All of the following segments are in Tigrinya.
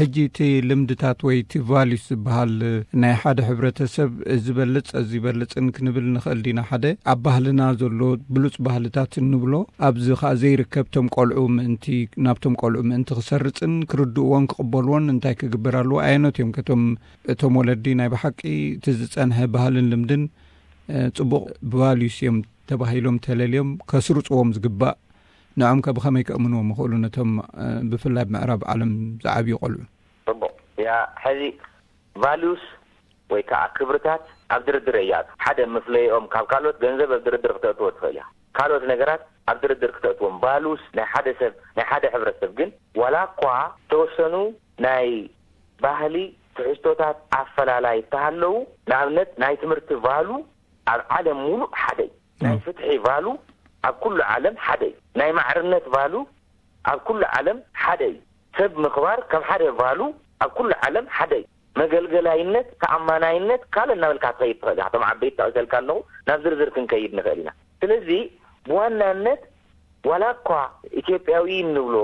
ሕጂ እቲ ልምድታት ወይ እቲ ቫሊዩስ ዝበሃል ናይ ሓደ ሕብረተሰብ እዚ በልጽ እዚ በልጽን ክንብል ንኽእል ዲና? ሓደ ኣብ ባህልና ዘሎ ብሉጽ ባህልታት እንብሎ ኣብዚ ኸኣ ዘይርከብ ቶም ቆልዑ ምእንቲ ናብቶም ቆልዑ ምእንቲ ክሰርጽን ክርድእዎን ክቕበልዎን እንታይ ክግበር ኣለዎ? ኣየኖት እዮም ከቶም እቶም ወለዲ ናይ ብሓቂ እቲ ዝጸንሐ ባህልን ልምድን ጽቡቕ ቫሊዩስ እዮም ተባሂሎም ተለልዮም ከስርጽዎም ዝግባእ ንዖም ከ ብኸመይ ከእምንዎም ይኽእሉ ነቶም ብፍላይ ኣብ ምዕራብ ዓለም ዝዓብዩ ቆልዑ? ጽቡቕ። ያ፣ ሕዚ ቫሉስ ወይ ከዓ ክብርታት ኣብ ድርድር እያ። ሓደ መፍለይኦም ካብ ካልኦት ገንዘብ ኣብ ድርድር ክተእትዎ ትኽእል እያ። ካልኦት ነገራት ኣብ ድርድር ክተእትዎም። ቫሉስ ናይ ሓደ ሰብ፣ ናይ ሓደ ሕብረተሰብ ግን ዋላ እኳ ዝተወሰኑ ናይ ባህሊ ትሕዝቶታት ኣፈላላይ እንተሃለዉ፣ ንኣብነት ናይ ትምህርቲ ቫሉ ኣብ ዓለም ሙሉእ ሓደ እዩ። ናይ ፍትሒ ቫሉ ኣብ ኩሉ ዓለም ሓደ እዩ። ናይ ማዕርነት ቫሉ ኣብ ኩሉ ዓለም ሓደ እዩ። ሰብ ምኽባር ከም ሓደ ቫሉ ኣብ ኩሉ ዓለም ሓደ እዩ። መገልገላይነት፣ ተኣማናይነት፣ ካልእ እናበልካ ክትኸይድ ትኽእል ኢኻ። እቶም ዓበይቲ ጠቒሰልካ ኣለኹ፣ ናብ ዝርዝር ክንከይድ ንኽእል ኢና። ስለዚ ብዋናነት ዋላ እኳ ኢትዮጵያዊ እንብሎ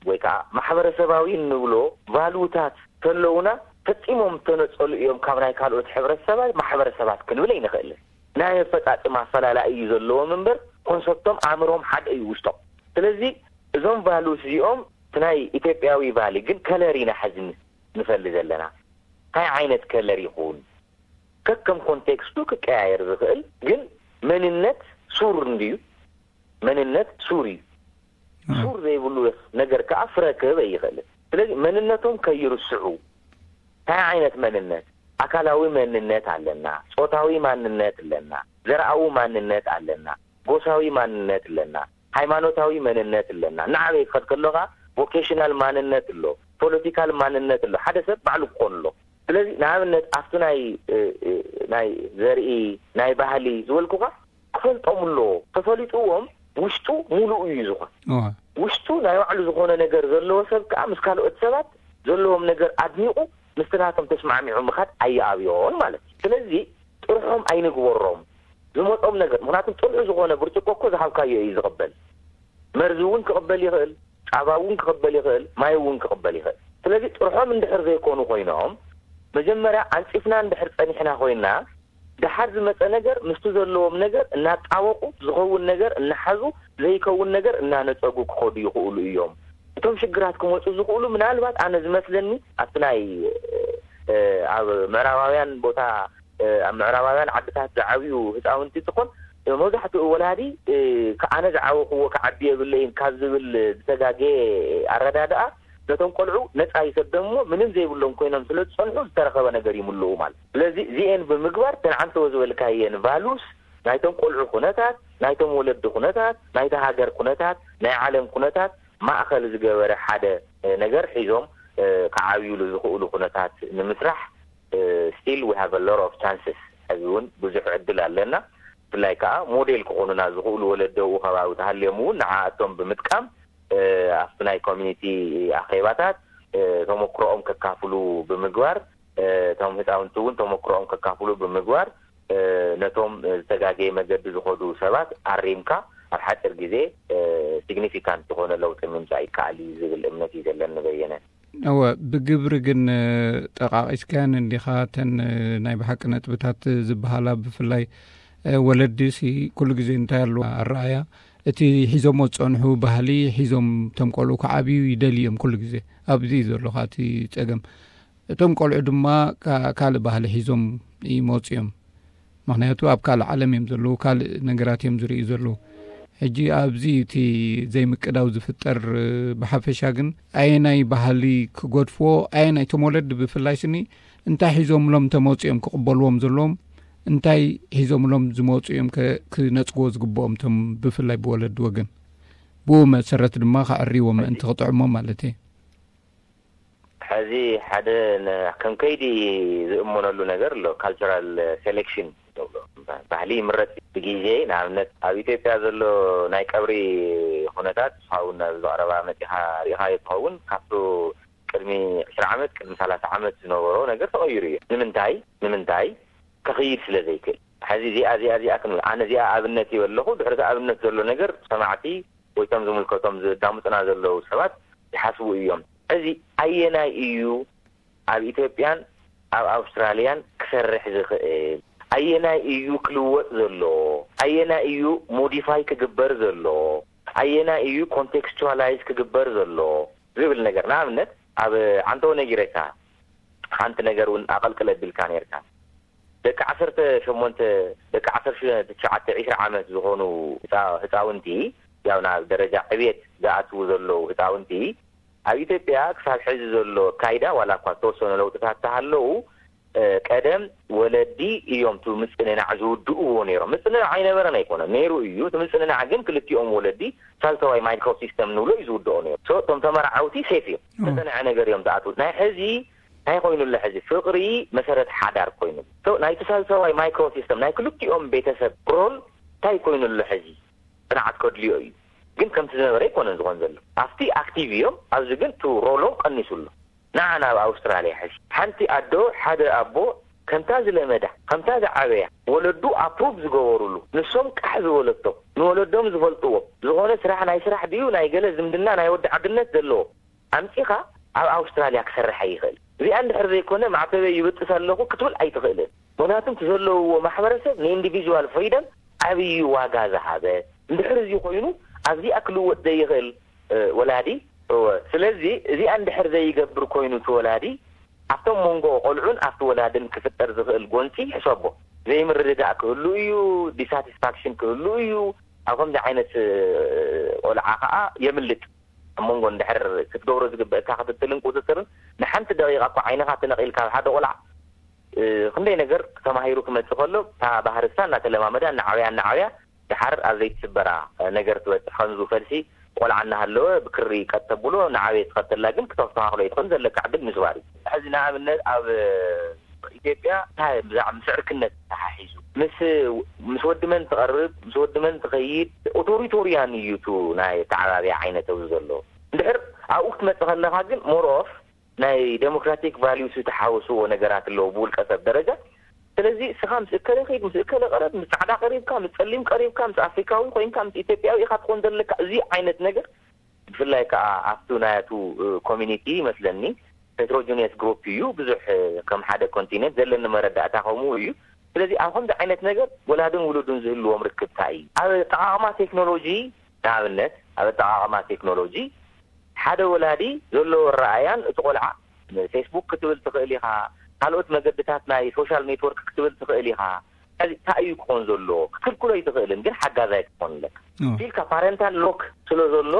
ወይ ከዓ ማሕበረሰባዊ እንብሎ ቫሉታት ተለውና ፈጺሞም ተነጸሉ እዮም ካብ ናይ ካልኦት ሕብረተሰባት ማሕበረሰባት ክንብል ኣይንኽእልን። ናይ ኣፈጻጽማ ኣፈላላይ እዩ ዘለዎም እምበር ኮንሰፕቶም ኣእምሮም ሓደ እዩ ውሽጦም። ስለዚ እዞም ቫሉስ እዚኦም እቲ ናይ ኢትዮጵያዊ ቫሊ ግን ከለር ኢና ሕዚ ንፈሊ ዘለና። እንታይ ዓይነት ከለር ይኹን ከከም ኮንቴክስቱ ክቀያየር ዝኽእል ግን መንነት ሱር እንድዩ። መንነት ሱር እዩ። ሱር ዘይብሉ ነገር ከዓ ፍረ ክህብ ኣይኽእልን። ስለዚ መንነቶም ከይርስዑ እንታይ ዓይነት መንነት፣ ኣካላዊ መንነት ኣለና፣ ጾታዊ ማንነት ኣለና፣ ዘርኣዊ ማንነት ኣለና፣ ጎሳዊ ማንነት ኣለና፣ ሃይማኖታዊ መንነት ኣለና። እናዓበየ ክኸድ ከሎ ከዓ ቮኬሽናል ማንነት ኣሎ፣ ፖለቲካል ማንነት ኣሎ። ሓደ ሰብ ባዕሉ ክኾን ኣሎ። ስለዚ ንኣብነት ኣብቲ ናይ ናይ ዘርኢ ናይ ባህሊ ዝበልኩኻ ክፈልጦም ኣለዎ። ተፈሊጥዎም ውሽጡ ሙሉእ እዩ ዝኾን። ውሽጡ ናይ ባዕሉ ዝኾነ ነገር ዘለዎ ሰብ ከዓ ምስ ካልኦት ሰባት ዘለዎም ነገር ኣድኒቑ ምስቲ ናቶም ተስማዕሚዑ ምኻድ ኣየኣብዮን ማለት እዩ። ስለዚ ጥርሖም ኣይንግበሮም። ዝመጾም ነገር፣ ምክንያቱም ጽኑዕ ዝኾነ ብርጭቆ እኮ ዝሃብካዮ እዩ ዝቕበል። መርዚ እውን ክቕበል ይኽእል፣ ጻባ እውን ክቕበል ይኽእል፣ ማይ እውን ክቕበል ይኽእል። ስለዚ ጥርሖም እንድሕር ዘይኮኑ ኮይኖም መጀመርያ ኣንጺፍና እንድሕር ጸኒሕና ኮይና፣ ደሓር ዝመጸ ነገር ምስቲ ዘለዎም ነገር እናጣበቑ፣ ዝኸውን ነገር እናሓዙ፣ ዘይከውን ነገር እናነጸጉ ክኸዱ ይኽእሉ እዮም። እቶም ሽግራት ክመጹ ዝኽእሉ ምናልባት ኣነ ዝመስለኒ ኣብቲ ናይ ኣብ ምዕራባውያን ቦታ ኣብ ምዕራባውያን ዓድታት ዝዓብዩ ህፃውንቲ እንትኾን መብዛሕትኡ ወላዲ ኣነ ዝዓበኽዎ ክዓቢ የብለይን ካብ ዝብል ዝተጋገየ ኣረዳድኣ ነቶም ቆልዑ ነፃ ይሰደሞ ምንም ዘይብሎም ኮይኖም ስለ ዝፀንሑ ዝተረኸበ ነገር ይምልኡ ማለት። ስለዚ እዚኤን ብምግባር ተን ዓንተዎ ዝበልካየን ቫሉስ ናይቶም ቆልዑ ኩነታት፣ ናይቶም ወለዲ ኩነታት፣ ናይታ ሃገር ኩነታት፣ ናይ ዓለም ኩነታት ማእኸል ዝገበረ ሓደ ነገር ሒዞም ክዓብዩሉ ዝኽእሉ ኩነታት ንምስራሕ still we have a lot of chances። ሕዚ እውን ብዙሕ ዕድል ኣለና። ብፍላይ ከዓ ሞዴል ክኾኑና ዝኽእሉ ወለዲ ኣብኡ ከባቢ ተሃልዮም እውን ንዓኣቶም ብምጥቃም ኣብቲ ናይ ኮሚኒቲ ኣኼባታት ተሞክሮኦም ከካፍሉ ብምግባር እቶም ህፃውንቲ እውን ተሞክሮኦም ከካፍሉ ብምግባር ነቶም ዝተጋገየ መገዲ ዝኸዱ ሰባት ኣሪምካ ኣብ ሓፂር ግዜ ሲግኒፊካንት ዝኾነ ለውጢ ምምፃእ ይከኣል እዩ ዝብል እምነት እዩ ዘለኒ በየነ። እወ፣ ብግብሪ ግን ጠቓቒስካየን እንዲኻ እተን ናይ ብሓቂ ነጥብታት ዝበሃላ። ብፍላይ ወለዲ ሲ ኩሉ ግዜ እንታይ ኣለዎ ኣረኣያ እቲ ሒዞሞ ዝፀንሑ ባህሊ ሒዞም እቶም ቆልዑ ክዓብዩ ይደልዩ እዮም ኩሉ ግዜ። ኣብዚ እዩ ዘለኻ እቲ ፀገም። እቶም ቆልዑ ድማ ካልእ ባህሊ ሒዞም ይመፁ እዮም። ምኽንያቱ ኣብ ካልእ ዓለም እዮም ዘለዉ፣ ካልእ ነገራት እዮም ዝርእዩ ዘለዉ። ሕጂ ኣብዚ እቲ ዘይምቅዳው ዝፍጠር ብሓፈሻ ግን ኣየናይ ባህሊ ክገድፍዎ ኣየናይ እቶም ወለዲ ብፍላይ ስኒ እንታይ ሒዞምሎም ተመፅኦም ክቕበልዎም ዘለዎም እንታይ ሒዞምሎም ዝመፁ እዮም ክነፅግዎ ዝግብኦም እቶም ብፍላይ ብወለዲ ወገን ብኡ መሰረት ድማ ከዕርይዎም ምእንቲ ክጥዕሞም ማለት እየ። ሕዚ ሓደ ከም ከይዲ ዝእመነሉ ነገር ኣሎ። ካልቸራል ሴሌክሽን ባህሊ ይምረፅ ብግዜ። ንኣብነት ኣብ ኢትዮጵያ ዘሎ ናይ ቀብሪ ኩነታት ንስኻ እውን ኣብዚ ቀረባ መፂኻ ርኢኻዮ ትኸውን። ካብቱ ቅድሚ ዕስራ ዓመት ቅድሚ ሰላሳ ዓመት ዝነበሮ ነገር ተቐይሩ እዩ። ንምንታይ? ንምንታይ? ከኽይድ ስለ ዘይክእል። ሕዚ እዚኣ እዚኣ እዚኣ ክንብል ኣነ እዚኣ ኣብነት እየ ኣለኹ። ድሕሪ ኣብነት ዘሎ ነገር ሰማዕቲ ወይ እቶም ዝምልከቶም ዘዳምፁና ዘለዉ ሰባት ይሓስቡ እዮም። እዚ ኣየናይ እዩ ኣብ ኢትዮጵያን ኣብ ኣውስትራልያን ክሰርሕ ዝኽእል? ኣየናይ እዩ ክልወጥ ዘለዎ? ኣየናይ እዩ ሞዲፋይ ክግበር ዘለዎ? ኣየናይ እዩ ኮንቴክስቹዋላይዝ ክግበር ዘለዎ? ዝብል ነገር፣ ንኣብነት ኣብ ዓንተው ነጊረካ፣ ሓንቲ ነገር እውን ኣቐልቅል ኣቢልካ ነርካ። ደቂ ዓሰርተ ሸሞንተ፣ ደቂ ዓሰርተ ትሽዓተ፣ ዒስራ ዓመት ዝኾኑ ህፃ- ህፃውንቲ፣ ያው ናብ ደረጃ ዕብየት ዝኣትዉ ዘለዉ ህፃውንቲ፣ ኣብ ኢትዮጵያ ክሳብ ሕዚ ዘሎ ኣካይዳ፣ ዋላ እኳ ዝተወሰኑ ለውጥታት ተሃለዉ፣ እ፣ ቀደም ወለዲ እዮም እቲ ምጽንናዕ ዝውድእዎ ነይሮም። ምጽንናዕ ኣይነበረን ኣይኮነን፣ ነይሩ እዩ። እቲ ምጽንናዕ ግን ክልቲኦም ወለዲ ሳልሰዋይ ማይክሮ ሲስተም ንብሎ እዩ ዝውድኦ ነይሩ። ሶ፣ እቶም ተመራዓውቲ ሴፍ እዮም። ኦ። ዝተጸንዐ ነገር እዮም ዝኣትዉ። ናይ ሕዚ እንታይ ኮይኑ ኣሎ? ሕዚ ፍቕሪ መሰረት ሓዳር ኮይኑ። ሶ፣ ናይቲ ሳልሰዋይ ማይክሮ ሲስተም ናይ ክልቲኦም ቤተሰብ ሮል እንታይ ኮይኑ ኣሎ? ሕዚ ጽንዓት ከድልዮ እዩ። ግን ከምቲ ዝነበረ ኣይኮነን ዝኾን ዘሎ። ኣብቲ ኣክቲቭ እዮም፣ ኣብዚ ግን እቲ ሮሎም ቀኒሱ ኣሎ። ንዓ ናብ ኣውስትራልያ ሕዚ። ሓንቲ ኣዶ፣ ሓደ ኣቦ፣ ከምታ ዝለመዳ፣ ከምታ ዝዓበያ፣ ወለዱ ኣፕሩቭ ዝገበሩሉ፣ ንሶም ቃሕ ዝበለቶም፣ ንወለዶም ዝፈልጥዎም፣ ዝኾነ ስራሕ፣ ናይ ስራሕ ድዩ ናይ ገለ ዝምድና ናይ ወዲ ዓድነት ዘለዎ፣ ኣምጺኻ ኣብ ኣውስትራልያ ክሰርሕ ኣይኽእል። እዚኣ እንድሕር ዘይኮነ፣ ማዕተበይ ይብጥስ ኣለኹ ክትብል ኣይትኽእልን። ምኽንያቱ እቲ ዘለውዎ ማሕበረሰብ ንኢንዲቪጁዋል ፍሪደም ዓብዪ ዋጋ ዝሃበ፣ እንድሕር እዚ ኮይኑ፣ ኣብዚኣ ክልወጥ ዘይኽእል፣ እ፣ ወላዲ፣ እወ። ስለዚ እዚኣ እንድሕር ዘይገብር ኮይኑ እቲ ወላዲ፣ ኣብቶም መንጎ ቆልዑን ኣብቲ ወላድን ክፍጠር ዝኽእል ጎንፂ ሕሰቦ። ዘይምርድዳእ ክህሉ እዩ፣ ዲሳቲስፋክሽን ክህሉ እዩ። ኣብ ከምዚ ዓይነት፣ እ፣ ቆልዓ ከዓ የምልጥ። ኣብ መንጎ እንድሕር ክትገብሮ ዝግበእካ ክትትልን ቁፅፅርን፣ ንሓንቲ ደቂቃ እኳ ዓይንኻ ተነቒልካ ኣብ ሓደ ቆልዓ፣ እ፣ ክንደይ ነገር ተማሂሩ ክመፅእ ከሎ፣ እታ ባህርሳ እናተለማመዳ፣ እናዓበያ፣ እናዓበያ፣ ድሓር ኣብ ዘይትስበራ፣ እ፣ ነገር ትበፅሕ። ከምዚ ፈልሲ ቆልዓ እናሃለወ ብክሪ ቀጥ ተብሎ፣ ንዓበየ ትኸተላ ግን ክተስተኻኽሎ ኣይትኽእልን፣ ዘለካ ዕድል ምስባር እዩ። ሕዚ ንኣብነት ኣብ፣ እ፣ ኢትዮጵያ እንታይ ብዛዕባ ምስ ዕርክነት ተሓሒዙ፣ ምስ፣ ምስ ወዲ መን ትቐርብ፣ ምስ ወዲ መን ትኸይድ፣ ኦቶሪቶሪያን እዩ እቱ ናይ ኣተዓባብያ ዓይነት ኣብዚ ዘሎ። እንድሕር ኣብኡ ክትመጽእ ከለኻ ግን ሞር ኦፍ ናይ ዴሞክራቲክ ቫልዩስ ዝተሓወስዎ ነገራት ኣለዉ ብውልቀ ሰብ ደረጃ። ስለዚ እስኻ ምስ እከለ ኸይድ፣ ምስ እከለ ቀረብ፣ ምስ ጻዕዳ ቀሪብካ፣ ምስ ጸሊም ቀሪብካ፣ ምስ ኣፍሪካዊ ኮይንካ፣ ምስ ኢትዮጵያዊ ኢኻ ትኾን ዘለካ። እዚ ዓይነት ነገር ብፍላይ ከዓ ኣብቱ ናያቱ፣ እ፣ ኮሚኒቲ ይመስለኒ ሄትሮጂኒየስ ግሩፕ እዩ። ብዙሕ፣ እ፣ ከም ሓደ ኮንቲኔንት ዘለኒ መረዳእታ ከምኡ እዩ። ስለዚ ኣብ ከምዚ ዓይነት ነገር ወላድን ውሉድን ዝህልዎም ርክብታ እዩ። ኣብ ኣጠቓቕማ ቴክኖሎጂ፣ ንኣብነት ኣብ ኣጠቓቕማ ቴክኖሎጂ ሓደ ወላዲ ዘለዎ ኣረኣእያን እቲ ቆልዓ ፌስቡክ ክትብል ትኽእል ኢኻ፣ ካልኦት መገድታት ናይ ሶሻል ኔትወርክ ክትብል ትኽእል ኢኻ። ስለዚ እንታይ እዩ ክኾን ዘለዎ? ክትክልክሎ ኣይትኽእልን፣ ግን ሓጋዛይ ክትኾን ኣለካ። ኦ። ኢልካ ፓረንታል ሎክ ስለ ዘሎ፣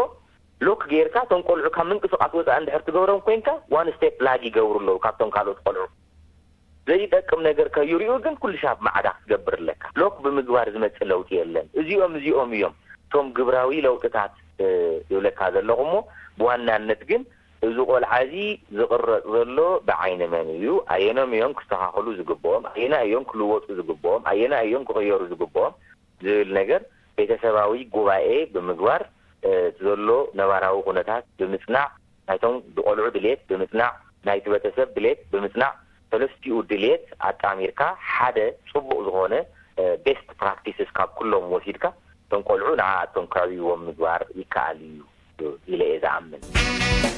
ሎክ ጌርካ እቶም ቆልዑ ካብ ምንቅስቃስ ወፃኢ እንድሕር ትገብሮም ኮይንካ፣ ዋን ስቴፕ ላግ ይገብሩ ኣለዉ ካብቶም ካልኦት ቆልዑ። ዘይጠቅም ነገር ከይሪኡ ግን ኩሉ ሻብ ማዕዳ ክትገብር ኣለካ። ሎክ ብምግባር ዝመጽእ ለውጢ የለን። እዚኦም፣ እዚኦም እዮም እቶም ግብራዊ ለውጥታት፣ እ፣ ይብለካ ዘለኹ እሞ፣ ብዋናነት ግን እዚ ቆልዓ እዚ ዝቕረጽ ዘሎ ብዓይኒ መን እዩ? ኣየኖም እዮም ክስተኻኸሉ ዝግብኦም? ኣየና እዮም ክልወጡ ዝግብኦም? ኣየና እዮም ክቕየሩ ዝግብኦም? ዝብል ነገር ቤተሰባዊ ጉባኤ ብምግባር፣ እ፣ እቲ ዘሎ ነባራዊ ኩነታት ብምጽናዕ፣ ናይቶም ቆልዑ ድሌት ብምጽናዕ፣ ናይቲ ቤተሰብ ድሌት ብምጽናዕ፣ ሰለስቲኡ ድሌት ኣጣሚርካ ሓደ ጽቡቕ ዝኾነ፣ እ፣ ቤስት ፕራክቲስስ ካብ ኩሎም ወሲድካ፣ እቶም ቆልዑ ንዓኣቶም ከዕብይዎም ምግባር ይከኣል እዩ ኢለ እየ ዝኣምን።